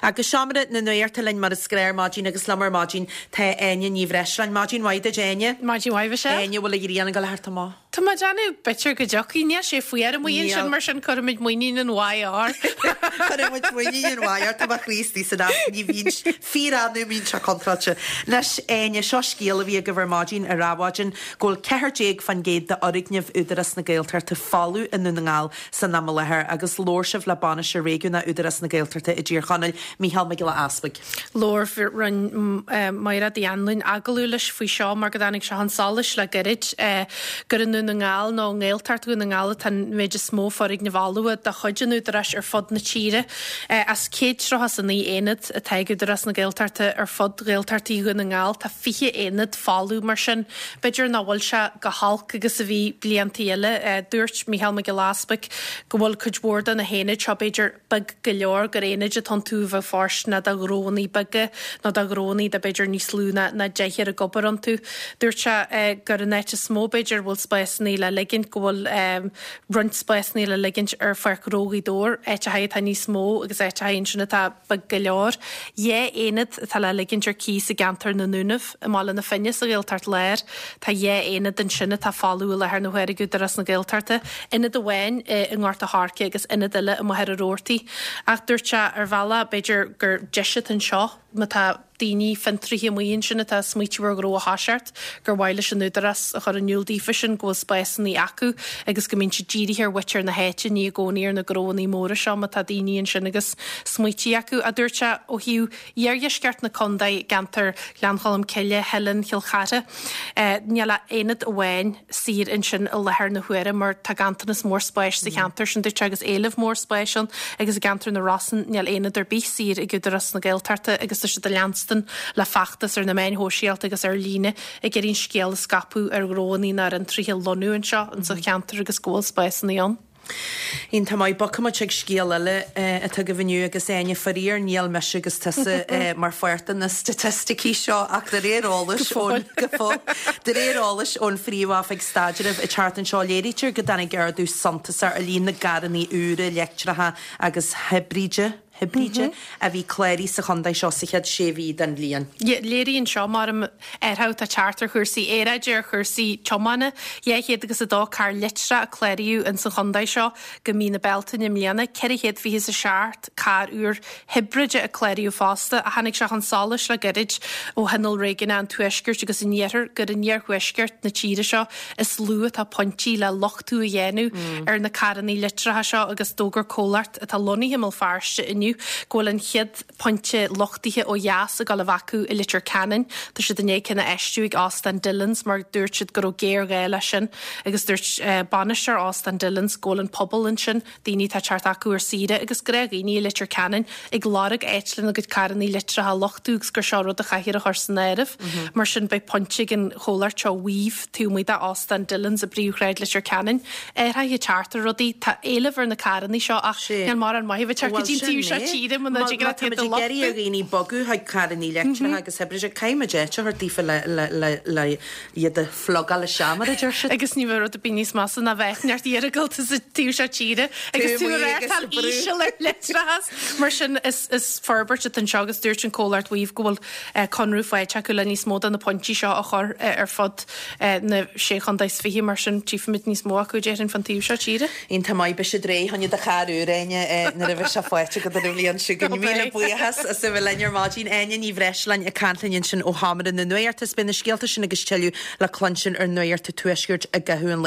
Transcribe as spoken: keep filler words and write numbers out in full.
Agus seomra na nuachta linn mar is gnách ar maidin agus liom ar maidin tá Áine Ní Bhreisleáin. Maidin mhaith duit Áine. Maidin mhaith Michelle. Áine bhfuil an ghrian ag dul a theacht amach. Tá mé ag déanamh b'fhéidir go dtiocfaidh, níl sé fuar amuigh ansin mar sin cuirfimid muinín an mhaith ár. Cuirfimid muinín an mhaith ár tá mo chroí istigh san áit ní bhíonn fíor-annamh a mbíonn sé contráilte. Anois Áine seo scéal a bhí agaibh ar maidin ar Adhmhaidin go bhfuil ceathair déag faoin gcéad d'fhoirgnimh Údarás na Gaeltachta folamh i nDún na nGall san am i láthair agus labhair sibh le bainisteoir réigiúnach Údarás na Gaeltachta i dTír Chonaill, Mícheál Mac Giolla Easpaig. Labhair rinne Mairéad Uí Anluain agallamh leis faoi seo mar go dtáinig sé chun solais le gairid gur i nDún na nGall nó i nGaeltacht Dhún na nGall atá an méid is mó foirgnimh fholmha de chuid an Údaráis ar fud na tíre. As céad tríocha is a naoi aonad atá ag Údarás na Gaeltachta ar fud Ghaeltachtaí Dhún na nGall, tá fiche aonad folamh mar sin. B'fhéidir nach bhfuil sé chomh holc agus a bhí blianta eile. Dúirt Mícheál Mac Giolla Easpaig go bhfuil cuid mhór de na haonaid seo b'fhéidir beag go leor, gur aonaid atá iontu a bheadh fóirsteanach do ghnóanna beaga nó do ghnóanna de b'fhéidir níos lú ná ná deichniúr ag obair iontu. Dúirt sé gur an áit is mó b'fhéidir a bhfuil spásanna le ligint, go bhfuil roinnt spásanna le ligint ar Pháirc Ghnó Ghaoth Dobhair, áiteacha atá níos mó agus áiteacha ansin atá beag go leor. Dhá aonad atá le ligint ar cíos i gceantar na nDúnaibh i mBaile na Finne sa Ghaeltacht Láir. Tá dhá aonad ansin atá folamh i láthair na huaire ag Údarás na Gaeltachta, ionad amháin i nGort a' Choirce agus ionad eile i Machaire Rabhartaigh. Ach dúirt sé ar bhealach, b'fhéidir gur deis atá anseo má tá daoine, fiontraithe amuigh ansin atá ag smaoitiú ar ghnó a thoiseacht, gur mhaith leis an Údarás a chur in iúl daofa sin go bhfuil spásanna acu agus go mbíonn siad dírithe ar mhuintir na háite, ní i gcónaí ar na gnóanna móra seo má tá daoine ansin agus smaoití acu, a dúirt sé. Ó thaobh iardheisceart na contae, i gceantar Ghleann Cholm Cille, Theileann, Chill Chartha, níl ach aonad amháin saor ansin i láthair na huaire mar tá ganntanas mór spáis sa cheantar sin, dúirt sé, agus éileamh mór spáis ann agus i gceantar na Rosann níl aonad ar bith saor ag Údarás na Gaeltachta agus tá siad ag leanstan le feachtas ar na meáin shóisialta agus ar líne ag iarraidh an scéal a scaipeadh ar ghnóanna nó ar fhiontraithe lonnú anseo insa cheantar agus go bhfuil spásanna ann. Iontach maith. Bogfaidh muid chuig scéal eile atá agaibh inniu agus Áine, faraor níl mise agus tusa mar pháirt de na staitisticí seo ach de réir eolais ón go fóill de réir eolais ón Phríomh-Oifig Staidrimh an tseachtain seo léirítear go dtáinig ardú suntasach ar líon na gcarranna úra leictreacha agus hibride hibride a bhí cláraithe sa chontae seo sa chéad sé mhí den bhliain. Léiríonn seo, mar athrú atá ag teacht ar chúrsaí aeráide, ar chúrsaí tiomána. Dhá chéad agus a dó carr leictreach a cláraíodh ins an chontae seo go mí na Bealtaine i mbliana, ceithre chéad fiche is a seacht carr úr hibride a cláraíodh fosta, ach tháinig sé chun solais le gairid ó Thionól Réigiúnach an Tuaiscirt agus an Iarthair gur in iarthuaisceart na tíre seo is lú atá pointí le luchtú a dhéanamh ar na carranna leictreacha seo agus d'fhógair comhlacht atá lonnaithe i mBéal Feirste inniu go bhfuil an chéad phointe luchtaithe ó dheas ag dul a bheith acu i Leitir Ceanainn. Tá siad i ndiaidh ceann a fheistiú ag Óstán Dillons mar dúirt siad go raibh géarghá leis sin agus dúirt bainisteoir Óstán Dillons go bhfuil an pobal ansin, daoine atá ag teacht acu ar saoire agus gnáthdhaoine i Leitir Ceanainn ag lorg áit lena gcuid carranna leictreacha a luchtú agus gur seo rud a chaithfear a chur san áireamh. Mar sin beidh pointe ag an chomhlacht seo Weave taobh amuigh d'Óstán Dillons i bpríomhshráid Leitir Ceanainn. Athruithe ag teacht ar rudaí, tá éileamh ar na carranna seo ach níl mórán maith a bheith ag teacht go dtí an taobh seo tíre muna dtig leat iad a luchtú. Má tá muid ag iarraidh ar dhaoine bogadh chuig carranna leictreacha agus hibride, caithfidh muid áit a thabhairt daofa le iad a phlugáil isteach mar a deir siad. Agus ní bheadh rud ar bith níos measa ná bheith neart iargúlta sa taobh seo tíre agus tú ag reáchtáil íseal ar leictreachas. Mar sin is forbairt atá anseo agus dúirt an comhlacht Weave go bhfuil conradh faighte acu le níos mó de na pointí seo a chur ar fud na sé chontae is fiche, mar sin tchífimid níos mó acu déarfainn fan taobh seo tíre. Iontach maith, beidh siad réidh chun do charr úr, Áine, nuair a bheidh sé faighte agat an bhliain seo chugainn. Míle buíochas as a bheith linn ar maidin. Áine Ní Bhreisleáin ag caint linn ansin ó Sheomra na Nuachta. Is beidh na scéalta sin agus tuilleadh le cluinstin ar Nuacht an Tuaiscirt i gcaitheamh an lae.